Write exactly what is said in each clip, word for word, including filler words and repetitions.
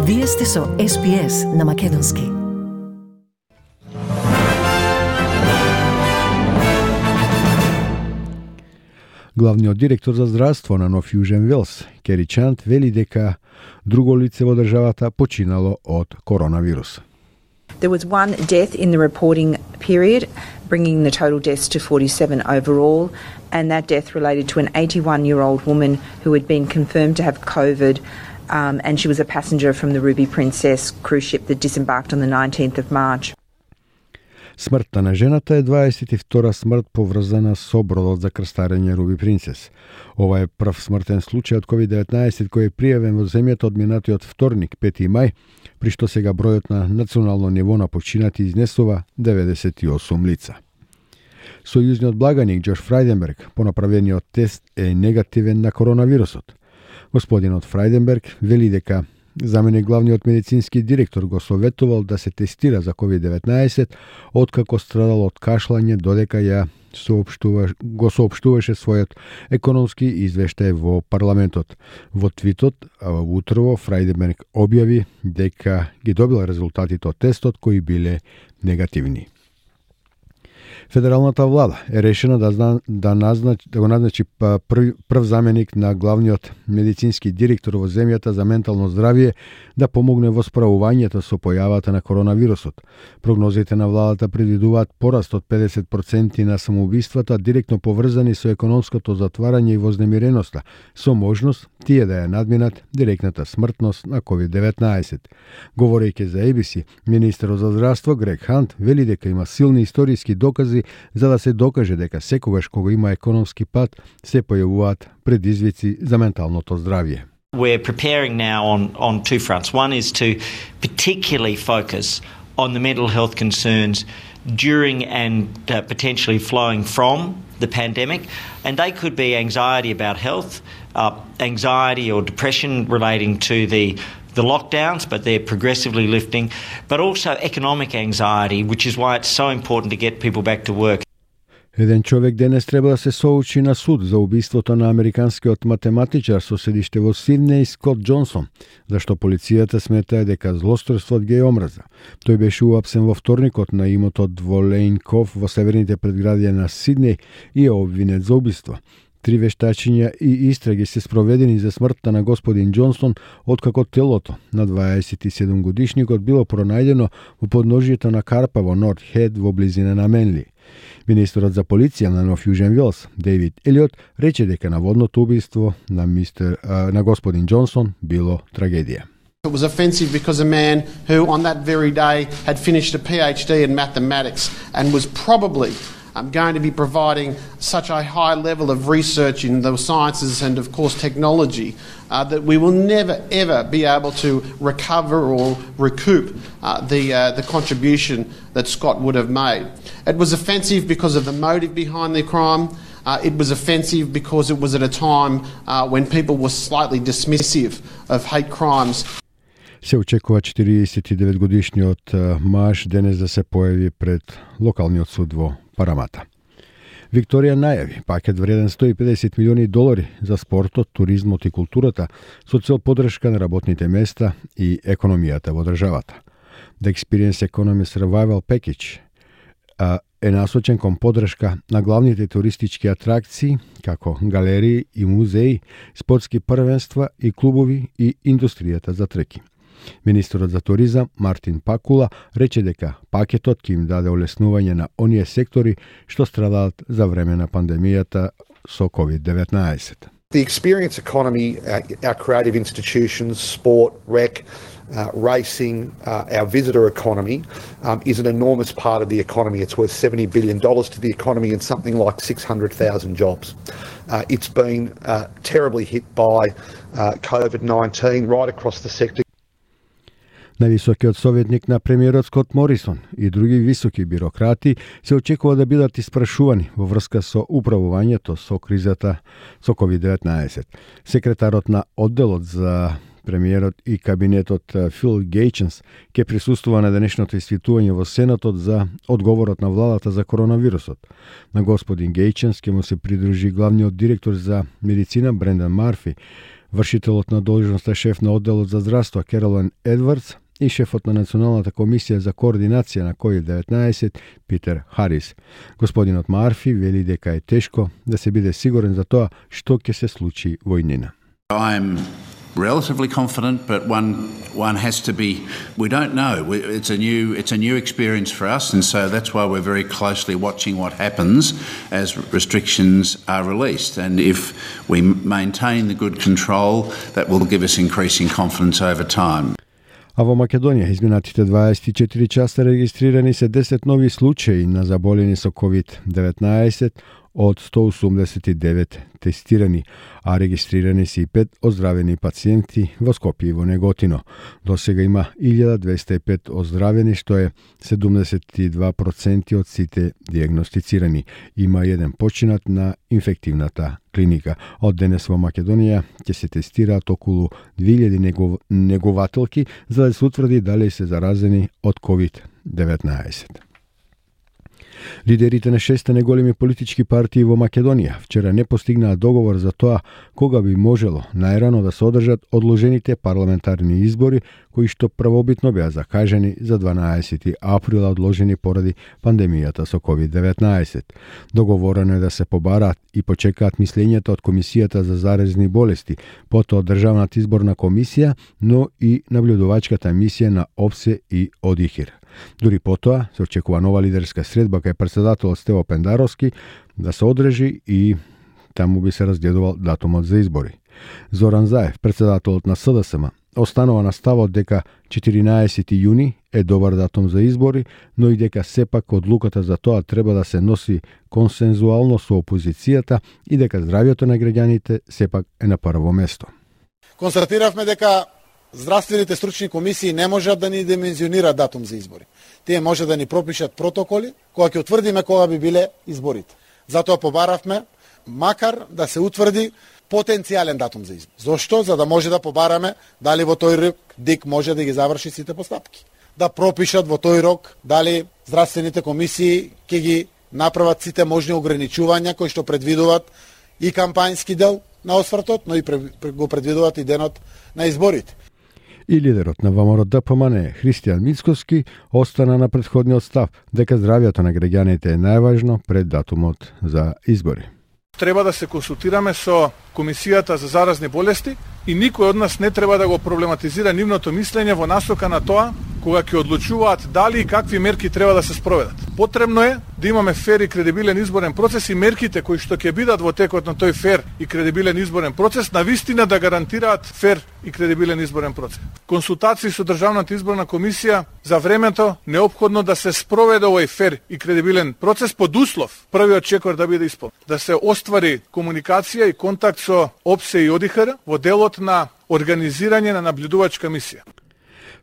Вие сте со Ес Би Ес на Македонски. Главниот директор за здравство на Нов Јужен Велс, Кери Чант, вели дека друго лице во државата починало од коронавирус. There was one death in the reporting period, bringing the total deaths to forty-seven overall, and that death related to an eighty-one-year-old woman who had been confirmed to have COVID, um, and she was a passenger from the Ruby Princess cruise ship that disembarked on the nineteenth of March. Смртта на жената е дваесет и втора смрт поврзана со бродот за крстарење Руби Принцес. Ова е прв смртен случај од ковид деветнаесет кој е пријавен во земјата од минатиот вторник, пети мај, при што сега бројот на национално ниво на починати изнесува деветдесет и осум лица. Сојузниот благаник Џош Фрајденберг по направениот тест е негативен на коронавирусот. Господинот Фрајденберг вели дека заменик главниот медицински директор го советувал да се тестира за ковид деветнаесет откако страдал од кашлање додека ја соопштува, го соопштуваше својот економски извештај во парламентот. Во твитот утрово Фрајденберг објави дека ги добил резултатите од тестот кои биле негативни. Федералната влада е решена да, зна, да, назначи, да го назначи прв, прв заменик на главниот медицински директор во земјата за ментално здравје да помогне во справувањето со појавата на коронавирусот. Прогнозите на владата предвидуваат пораст од педесет проценти на самоубиствата директно поврзани со економското затварање и вознемиреноста, со можност тие да ја надминат директната смртност на ковид деветнаесет. Говорејќи за Ей Би Си, министерот за здравство Грег Хант вели дека има силни историски докази за да се докаже дека секогаш кога има економски пат се појавуваат предизвици за менталното здравје. We're preparing now on, on two fronts. One is to particularly focus on the mental health concerns during and uh, potentially flowing from the pandemic. And they could be anxiety about health, uh, anxiety or depression relating to the the lockdowns, but they're progressively lifting, but also economic anxiety, which is why it's so important to get people back to work. Еден човек денес треба да се соочи на суд за убиството на американскиот математичар со седиште во Сиднеј Скот Џонсон, зашто полицијата смета дека злосторствот ги е омраза. Тој беше уапсен во вторникот на имотот во Лейн Ков во северните предградија на Сиднеј и е обвинет за убиство. Три вештачиња и истраги се спроведени за смртта на господин Џонсон, откако телото на дваесет и седум годишникот било пронајдено во подножјето на карпа во Норт Хед во близина на Менли. Министерот за полиција на Нов Јужен Велс, Дейвид Елиот, рече дека наводното убиство на мистер а, на господин Џонсон било трагедија. It was offensive because a man who on that very day had finished a PhD in mathematics and was probably I'm going to be providing such a high level of research in the sciences and, of course, technology uh, that we will never, ever be able to recover or recoup uh, the, uh, the contribution that Scott would have made. It was offensive because of the motive behind the crime. Uh, it was offensive because it was at a time uh, when people were slightly dismissive of hate crimes. Се очекува четириесет и девет годишниот маж денес да се појави пред локалниот суд во Парамата. Викторија најави пакет вреден сто и педесет милиони долари за спортот, туризмот и културата со цел поддршка на работните места и економијата во државата. The Experience Economy Survival Package е насочен кон поддршка на главните туристички атракции, како галерии и музеи, спортски првенства и клубови и индустријата за треки. Министерот за туризам Мартин Пакула рече дека пакетот ќе им даде олеснување на оние сектори што страдаат за време на пандемијата со ковид деветнаесет. The experience economy, our creative institutions, sport, rec, uh, racing, uh, our visitor economy um, is an enormous part of the economy. It's worth seventy billion dollars to the economy and something like six hundred thousand jobs. Uh, it's been uh, terribly hit by uh, COVID nineteen right across the sector. Највисокиот советник на премиерот Скот Морисон и други високи бирократи се очекува да бидат испрашувани во врска со управувањето со кризата со ковид деветнаесет. Секретарот на одделот за премиерот и кабинетот Фил Гејченс ќе присуствува на денешното испитување во Сенатот за одговорот на владата за коронавирусот. На господин Гејченс ќе му се придружи главниот директор за медицина Брендан Марфи, Вршителот на должноста шеф на одделот за здравство Керолин Едвардс и шефот на Националната комисија за координација на ковид деветнаесет Питер Харис. Господинот Марфи вели дека е тешко да се биде сигурен за тоа што ќе се случи во иднина. I'm relatively confident, but one one has to be. We don't know. We, it's a new it's a new experience for us, and so that's why we're very closely watching what happens as restrictions are released. And if we maintain the good control, that will give us increasing confidence over time. А во Македонија изминатите дваесет и четири часа регистрирани се десет нови случаи на заболени со ковид деветнаесет од сто осумдесет и девет тестирани, а регистрирани се и пет оздравени пациенти во Скопје и во Неготино. До сега има илјада двесте и пет оздравени, што е седумдесет и два проценти од сите диагностицирани. Има еден починат на инфективната клиника. Од денес во Македонија ќе се тестираат околу две илјади негов... негователки за да се утврди дали се заразени од ковид деветнаесет. Лидерите на шест неголеми политички партии во Македонија вчера не постигнаа договор за тоа кога би можело најрано да се одржат одложените парламентарни избори, кои што првобитно беа закажани за дванаесети април, одложени поради пандемијата со ковид деветнаесет. Договорено е да се побараат и почекаат мислењата од Комисијата за заразни болести, потоа Државната изборна комисија, но и наблюдувачката мисија на ОПСЕ и ОДИХИР. Дури потоа се очекува нова лидерска средба кај претседателот Стево Пендаровски да се одржи и таму би се разгледувал датумот за избори. Зоран Заев, претседателот на СДСМ, останува на ставот дека четиринаесети јуни е добар датум за избори, но и дека сепак одлуката за тоа треба да се носи консензуално со опозицијата и дека здравјето на граѓаните сепак е на прво место. Констатиравме дека здравствените стручни комисии не можат да ни димензионираат датум за избори. Тие може да ни пропишат протоколи кога ќе утврдиме кога би биле изборите. Затоа побаравме макар да се утврди потенцијален датум за избор. Зошто? За да може да побараме дали во тој рок ДИК може да ги заврши сите постапки. Да пропишат во тој рок дали здравствените комисии ќе ги направат сите можни ограничувања кои што предвидуваат и кампањски дел на освртот, но и го предвидуваат и денот на изборите. И лидерот на ВМРО-ДПМН Христијан Мицкоски остана на претходниот став дека здравјето на граѓаните е најважно пред датумот за избори. Треба да се консултираме со Комисијата за заразни болести и никој од нас не треба да го проблематизира нивното мислење во насока на тоа кога ќе одлучуваат дали и какви мерки треба да се спроведат. Потребно е да имаме фер и кредибилен изборен процес и мерките кои што ќе бидат во текот на тој фер и кредибилен изборен процес навистина да гарантираат фер и кредибилен изборен процес. Консултации со Државната изборна комисија за времето неопходно да се спроведе овој фер и кредибилен процес под услов првиот чекор да биде исполнет. Да се оствари комуникација и контакт со ОПСЕ и ОДИХР во делот на организирање на наблюдувачка мисија.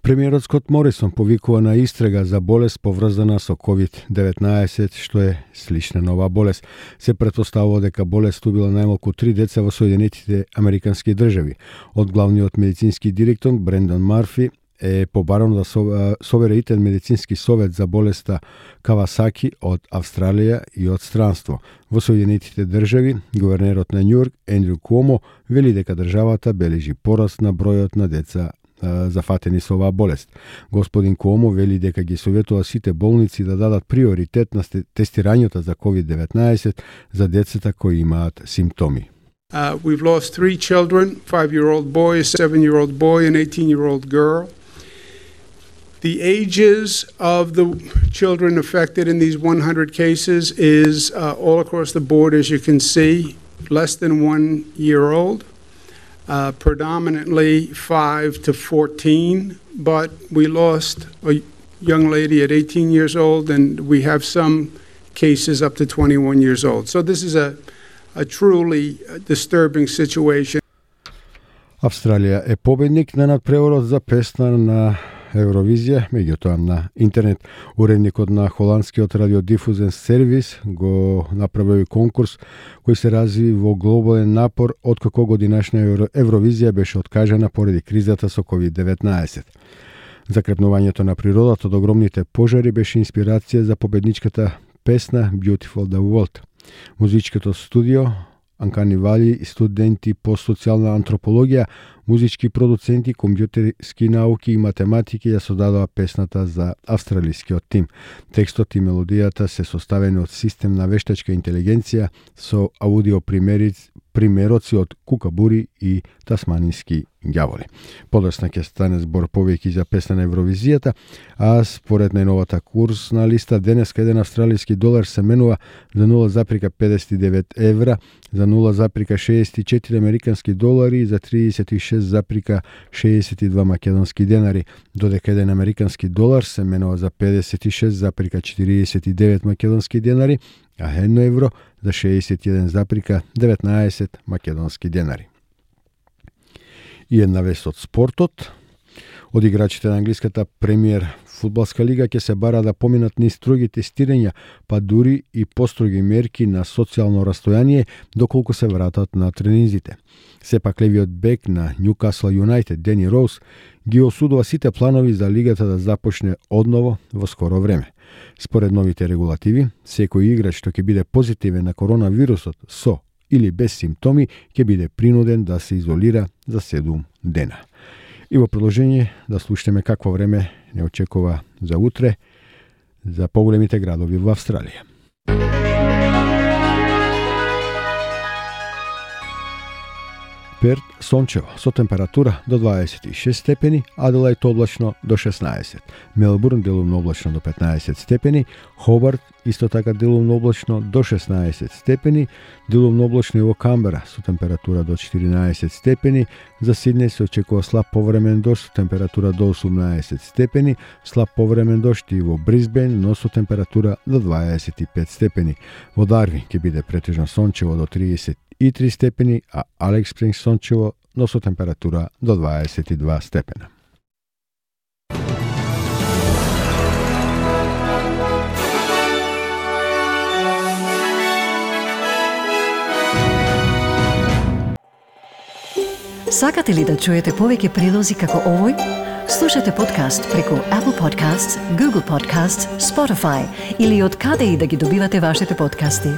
Премиерот Скот Морисон повикува на истрага за болест поврзана со ковид деветнаесет, што е слична нова болест. Се претпоставува дека болест убила најмалку три деца во Соединетите Американски држави. Од главниот медицински директор Брендон Марфи е побарано да собере итен медицински совет за болеста Кавасаки од Австралија и од странство. Во Соединетите држави, гувернерот на Њујорк Ендрю Куомо вели дека државата бележи пораст на бројот на деца зафатени со оваа болест. Господин Куомо вели дека ги советува сите болници да дадат приоритет на тестирањето за ковид деветнаесет за децата кои имаат симптоми. Uh, we've lost three children, five-year-old boy, a seven-year-old boy, an eighteen-year-old girl. The ages of the children affected in these one hundred cases is uh, all across the board, as you can see, less than one year old, uh, predominantly five to fourteen, but we lost a young lady at eighteen years old, and we have some cases up to twenty-one years old. So this is a a truly disturbing situation. Австралија е победник на надпреварот за песна на Евровизија, меѓутоа на интернет. Уредникот на холандскиот радиодифузен сервис го направи конкурс кој се разви во глобален напор откако годинашна Евровизија беше откажана поради кризата со ковид деветнаесет. Закрепнувањето на природата од огромните пожари беше инспирација за победничката песна Beautiful the World. Музичкото студио Анкани Вали, студенти по социјална антропологија, музички продуценти, компјутерски науки и математики ја создадоа песната за австралискиот тим. Текстот и мелодијата се составени од систем на вештачка интелигенција со аудио примериц, примероци од кукабури и тасманински ѓаволи. Подоцна ќе стане збор повеќе за песна на Евровизијата, а според најновата курсна листа денеска еден австралиски долар се менува за нула запирка педесет и девет евра, за нула запирка шеесет и четири американски долари и за тридесет и шест запирка шеесет и два македонски денари, додека еден американски долар се менува за педесет и шест запирка четириесет и девет македонски денари, а едно евро за шеесет и еден запирка деветнаесет македонски денари. И една вест од спортот. Од играчите на англиската премиер фудбалска лига ќе се бара да поминат низ строги тестирања, па дури и построги мерки на социјално растојание доколку се вратат на тренинзите. Сепак левиот бек на Ньюкасл Юнайтед Дени Роуз ги осудува сите планови за лигата да започне одново во скоро време. Според новите регулативи, секој играч што ќе биде позитивен на коронавирусот со или без симптоми ќе биде принуден да се изолира за седум дена. И во продолжение да слушнеме какво време не очекува за утре за поголемите градови во Австралија. Перт сончево со температура до дваесет и шест степени, Аделајд облачно до шеснаесет, Мелбурн делумно облачно до петнаесет степени, Хобарт исто така делумно облачно до шеснаесет степени, делумно облачно и во Камбера со температура до четиринаесет степени, за Сиднеј се очекува слаб повремен дожд со температура до осумнаесет степени, слаб повремен дожд и во Брисбен, но со температура до дваесет и пет степени. Во Дарвин ќе биде претежно сончево до триесет и три степени, а Алекс Спрингс сончево, но со температура до дваесет и два степена. Сакате ли да чуете повеќе прилози како овој? Слушате подкаст преку Apple Podcasts, Google Podcasts, Spotify или од каде и да ги добивате вашите подкасти.